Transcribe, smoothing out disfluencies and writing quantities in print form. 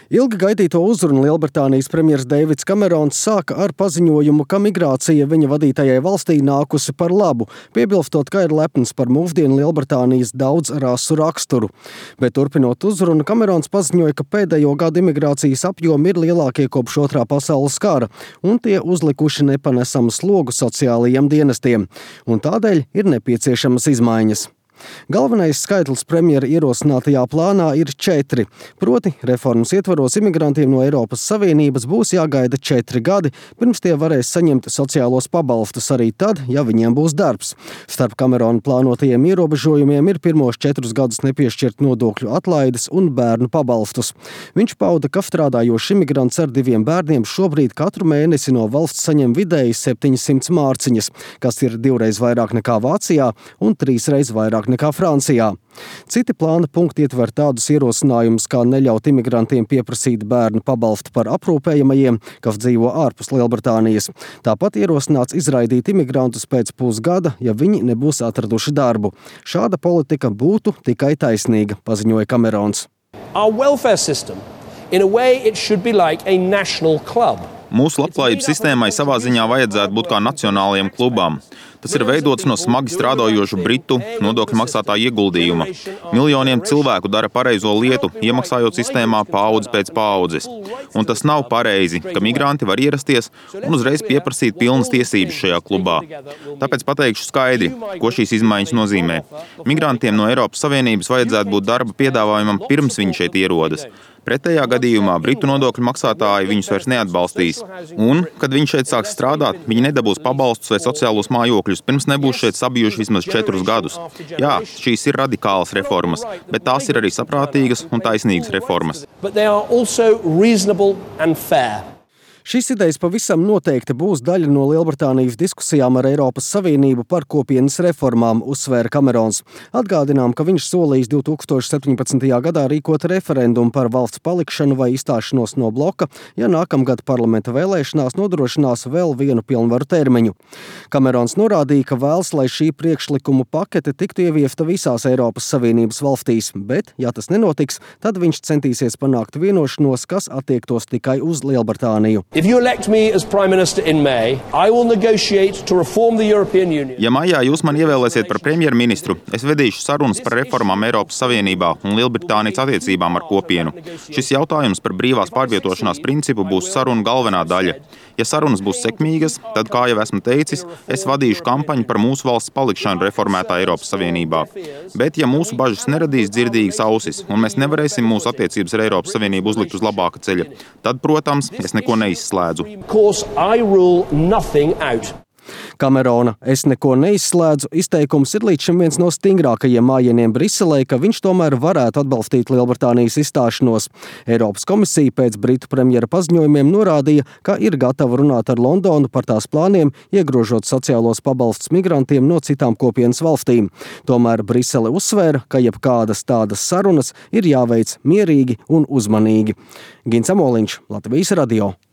Ilgi gaidīto uzrunu Lielbritānijas premjers Deivids Kamerons sāka ar paziņojumu, ka migrācija viņa vadītajai valstī nākusi par labu, piebilstot, ka ir lepns par mūsdienu Lielbritānijas daudz rasu raksturu. Bet turpinot uzrunu, Kamerons paziņoja, ka pēdējo gadu imigrācijas apjomi ir lielākie kopš Otrā pasaules kara, un tie uzlikuši nepanesamu slogu sociālajiem dienestiem, un tādēļ ir nepieciešamas izmaiņas. Galvenais skaitlis premjera ierosinātajā plānā ir 4, proti reformas ietvaros imigrantiem no Eiropas Savienības būs jāgaida 4 gadi, pirms tie varēs saņemt sociālos pabalstus arī tad, ja viņiem būs darbs. Starp Kamerona plānotajiem ierobežojumiem ir pirmos 4 gadus nepiešķirt nodokļu atlaides un bērnu pabalstus. Viņš pauda, ka strādājošs imigrants ar 2 bērniem šobrīd katru mēnesi no valsts saņem vidēji 700 mārciņas, kas ir 2 reiz vairāk nekā Vācijā un 3 reiz vairāk nekā Francijā. Citi plāna punkti ietver tādus ierosinājumus, kā neļaut imigrantiem pieprasīt bērnu pabalstu par aprūpējamajiem, kas dzīvo ārpus Lielbritānijas. Tāpat ierosināts izraidīt imigrantus pēc pusgada, ja viņi nebūs atraduši darbu. Šāda politika būtu tikai taisnīga, paziņoja Kamerons. Our welfare system, in a way, it should be like a national club. Mūsu labklājības sistēmai savā ziņā vajadzētu būt kā nacionālajiem klubām. Tas ir veidots no smagi strādājošu britu nodokļu maksātāju ieguldījuma. Miljoniem cilvēku dara pareizo lietu, iemaksājot sistēmā paudzi pēc paudzes. Un tas nav pareizi, ka migranti var ierasties un uzreiz pieprasīt pilnas tiesības šajā klubā. Tāpēc pateikšu skaidri, ko šīs izmaiņas nozīmē. Migrantiem no Eiropas Savienības vajadzētu būt darba piedāvājumam pirms viņi šeit ierodas. Pretējā gadījumā britu nodokļu maksātāji viņus vairs neatbalstīs. Un, kad viņi šeit sāks strādāt, viņi nedabūs pabalstus vai sociālos mājokļus, pirms nebūs šeit sabijuši vismaz 4 gadus. Jā, šīs ir radikālas reformas, bet tās ir arī saprātīgas un taisnīgas reformas. Šīs idejas pavisam noteikti būs daļa no Lielbritānijas diskusijām ar Eiropas Savienību par kopienas reformām, uzsvēra Kamerons. Atgādinām, ka viņš solījis 2017. gadā rīkot referendumu par valsts palikšanu vai izstāšanos no bloka, ja nākamgad parlamenta vēlēšanās nodrošinās vēl vienu pilnvaru termiņu. Kamerons norādīja, ka vēlas, lai šī priekšlikumu pakete tiktu ieviesta visās Eiropas Savienības valstīs, bet, ja tas nenotiks, tad viņš centīsies panākt vienošanos, kas attiektos tikai uz Lielbritāniju. If you elect me as Prime Minister in May, I will negotiate to reform the European Union. Ja maijā jūs mani ievēlēsiet par premjerministru, es vedīšu sarunas par reformām Eiropas Savienībā un Lielbritānijas attiecībām ar kopienu. Šis jautājums par brīvās pārvietošanās principu būs sarunu galvenā daļa. Ja sarunas būs sekmīgas, tad, kā jau esmu teicis, es vadīšu kampaņu par mūsu valsts palikšanu reformētā Eiropas Savienībā. Bet, ja mūsu bažas neradīs dzirdīgas ausis un mēs nevarēsim mūsu attiecības ar Eiropas Savienību uzlikt uz labāka ceļa, tad, protams, es neko neizslēdzu. Kamerona "es neko neizslēdzu" izteikums ir līdz šim viens no stingrākajiem mājieniem Briselē, ka viņš tomēr varētu atbalstīt Lielbritānijas izstāšanos. Eiropas komisija pēc britu premjera paziņojumiem norādīja, ka ir gatava runāt ar Londonu par tās plāniem, iegrožot sociālos pabalstus migrantiem no citām kopienas valstīm. Tomēr Brisele uzsvēra, ka jebkādas tādas sarunas ir jāveic mierīgi un uzmanīgi. Gins Amoliņš, Latvijas radio.